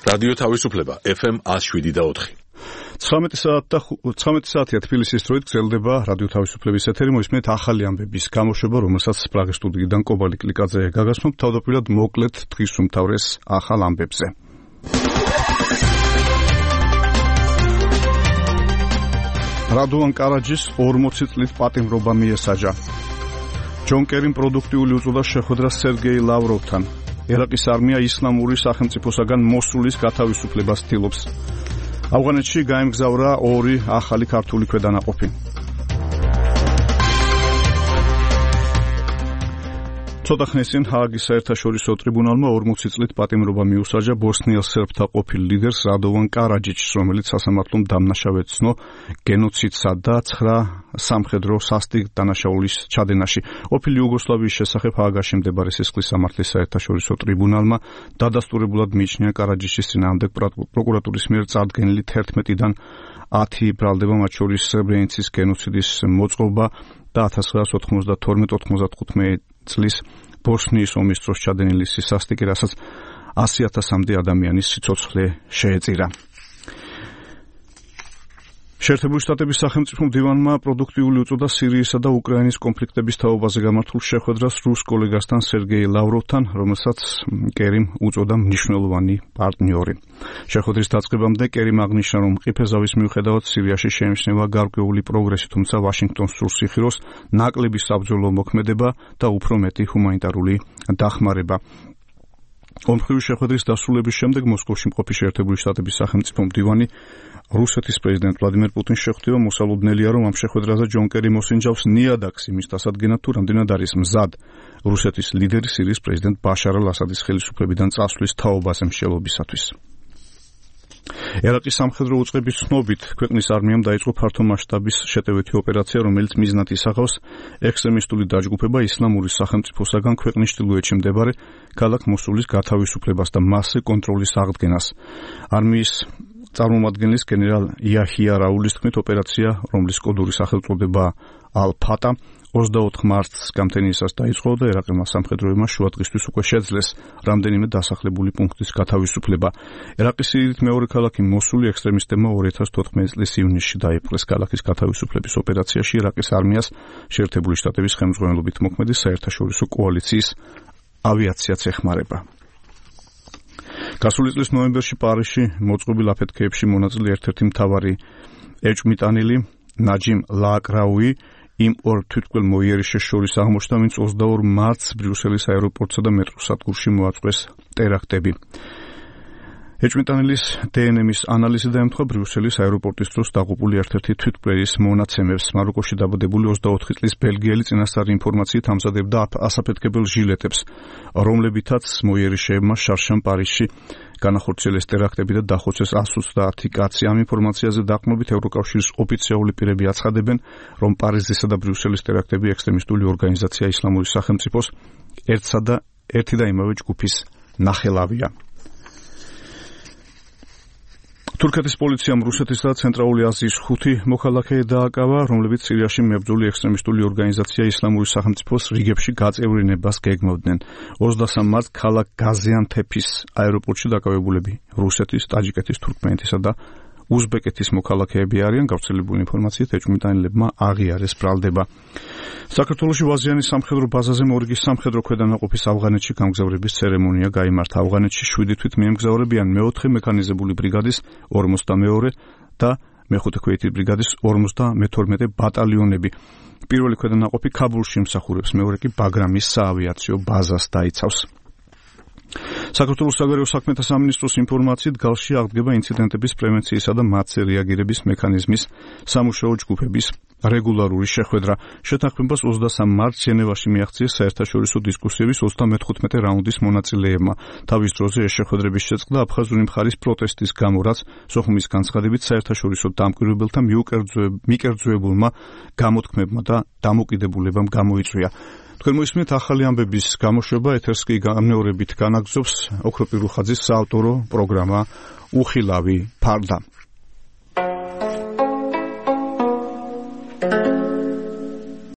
რადიო თავისუფლება FM 107.4. 19 საათია თბილისის დროით გრძელდება რადიო თავისუფლების ეთერი. მოისმენთ ახალი ამბების გამოშვება, რომელსაც პრაღის სტუდიიდან კობალი კლიკაძე გაგაცნობ. თავდაპირველად მოკლედ დღის უმთავრეს ახალ ამბებზე. რადოვან კარაჯის 40 წლით პატიმრობა მიესაჯა. ჯონ კერიმ პროდუქტიული უწოდა შეხვედრა სერგეი ლავროვთან. ერაყის არმია ისლამური სახელმწიფოსაგან მოსულის გათავისუფლებას ცდილობს. ავღანეთში გაემგზავრა 2 ახალი ქართული ქვედანაყოფი. ცოტა ხნის წინ ჰააგის საერთაშორისო ტრიბუნალმა 40 წლით პატიმრობა მიუსაჯა ბოსნიელ სერბთა ყოფილ ლიდერს რადოვან კარაჯიჩს, რომელიც სასამართლომ დამნაშავედ ცნო გენოციდსა და 9 სამხედრო სასტიკ დანაშაულის ჩადენაში. ყოფილი იუგოსლავიის შესახებ ჰააგაში მდებარე სისხლის სამართლის საერთაშორისო ტრიბუნალმა დადასტურებულად მიიჩნია კარაჯიჩის წინააღმდეგ პროკურატურის მიერ წარდგენილი 11-დან 10 ბრალდება, მათ შორის სრებრენიცის გენოციდის მოწყობა და 1992-95 წლის ბოსნიის ომის დროს ჩადენილი სასტიკი, რასაც 100,000-მდე ადამიანის სიცოცხლე შეეწირა. შეერთებული შტატების სახელმწიფო მდივანმა პროდუქტიული უწოდა სირიისა და უკრაინის კონფლიქტების თაობაზე გამართულ შეხვედრას რუს კოლეგასთან სერგეი ლავროვთან, რომელსაც კერიმ უწოდა მნიშვნელოვანი პარტნიორი. შეხვედრის დაწყებამდე კერიმ აღნიშნა, რომ მყიფე ზავის მიუხედავად სირიაში შეიმჩნევა გარკვეული პროგრესი, თუმცა ვაშინგტონს სურს იხილოს ნაკლები საბრძოლო მოქმედება და უფრო მეტი ჰუმანიტარული დახმარება. ომხრივი შეხვედრის დასრულების შემდეგ მოსკოვში მყოფი შეერთებული შტატების სახელმწიფო მდივანი რუსეთის პრეზიდენტ ვლადიმერ პუტინს შეხვდება. მოსალოდნელია, რომ ამ შეხვედრაზე ჯონ კერი მოსინჯავს ნიადაგს იმის დასადგენად, თუ რამდენად არის მზად რუსეთის ლიდერი სირიის პრეზიდენტ ბაშარ ალ-ასადის ხელისუფლებიდან წასვლის თაობაზე მსჯელობისათვის. ერაყის სამხედრო უწყების ცნობით ქვეყნის არმიამ დაიწყო ფართომასშტაბის შეტევითი ოპერაცია, რომელიც მიზნად ისახავს ექსტრემისტული დაჯგუფება ისლამური სახელმწიფოსაგან ქვეყნის ჩრდილოეთში მდებარე ქალაქ მოსულის გათავისუფლებას და მასზე კონტროლის აღდგენას. არმიის წარმომადგენლის გენერალ იაჰია რაულის თქმით, ოპერაცია, რომლის კოდური სახელწოდება ალ-ფატა 24 მარტს გამთენიისას დაიწყო და ერაყელმა სამხედროებმა შუადღისთვის უკვე შეძლეს რამდენიმე დასახლებული პუნქტის გათავისუფლება. ერაყის სიდიდით მეორე ქალაქი მოსული ექსტრემისტებმა 2014 წლის ივნისში დაიპყრეს. ქალაქის გათავისუფლების ოპერაციაში ერაყის არმიას შეერთებული შტატების ხელმძღვანელობით მოქმედი საერთაშორისო კოალიციის ავიაციაც ეხმარება. გასული წლის ნოემბერში პარიზში მოწყობილ აფეთქეებში მონაწილე ერთ-ერთი მთავარი ეჭვმიტანილი ნაჯიმ ლააკრაუი იმ ორ თვითმკვლელ მოიერიშეს შორის აღმოჩნდა, ვინც 22 მარტს ბრიუსელის აეროპორტსა და მეტროს სადგურში მოაწყვეს ტერაქტები. ეჭვმიტანილის დნმ-ის ანალიზი დაემთხვა ბრიუსელის აეროპორტის დროს დაღუპული ერთ-ერთი თვითმკვლელის მონაცემებს. მაროკოში დაბადებული 24 წლის ბელგიელი წინასწარი ინფორმაციით ამზადებდა ასაფეთქებელ ჟილეტებს, რომლებითაც მოიერიშეებმა შარშან პარიზში განახორციელეს ტერაქტები და დახოცეს 130 კაცი. ამ ინფორმაციაზე დაყრდნობით ევროკავშირის ოფიციალური პირები აცხადებენ, რომ პარიზისა და ბრიუსელის ტერაქტები ექსტრემისტული ორგანიზაცია ისლამური სახელმწიფოს ერთი და იმავე ჯგუფის ნახელავია. თურქეთის პოლიციამ რუსეთის და ცენტრალური აზიის 5 მოქალაქე დააკავა, რომლებიც სირიაში მებრძოლი ექსტრემისტული ორგანიზაცია ისლამური სახელმწიფოს რიგებში გაწევრიანებას გეგმავდნენ. 23 მარტს ქალაქ გაზიანთეპის აეროპორტში დაკავებულები რუსეთის, ტაჯიკეთის, თურქმენეთისა და უზბეკეთის მოქალაქეები არიან. გავრცელებული ინფორმაციით ეჭვმიტანილებმა აღიარეს ბრალდება. საქართველოში ვაზიანის სამხედრო ბაზაზე მორიგის სამხედრო ქვედანაყოფის ავღანეთში გამგზავრების ცერემონია გაიმართა. ავღანეთში 7 თვით მიემგზავრებიან მე-4 მექანიზებული ბრიგადის 42 და მე-5 ქვეითი ბრიგადის 52 ბატალიონები. პირველი ქვედანაყოფი ქაბულში იმსახურებს, მეორე კი ბაგრამის საავიაციო ბაზას დაიცავს. საქართველოს საგარეო საქმეთა სამინისტროს ინფორმაციით გალში აღდგება ინციდენტების პრევენციისა და მათზე რეაგირების მექანიზმის სამუშაო ჯგუფების რეგულარული შეხვედრა. შეთანხმებას 23 მარტს ჟენევაში მიაღწიეს საერთაშორისო დისკუსიების 35 რაუნდის მონაწილეებმა. თავის დროზე ეს შეხვედრების შეწყდა აფხაზური მხარის პროტესტის გამო, რაც სოხუმის განცხადებით საერთაშორისო დამკვირვებელთა მიკერძოებულმა გამოთქმებმა და დამოკიდებულებამ გამოიწვია. თქვენ მოისმენთ ახალი ამბების გამოშვება, ეთერს კი გამეორებით განაგზობს ოქროპირუხაძის საავტორო პროგრამა უხილავი ფარდა.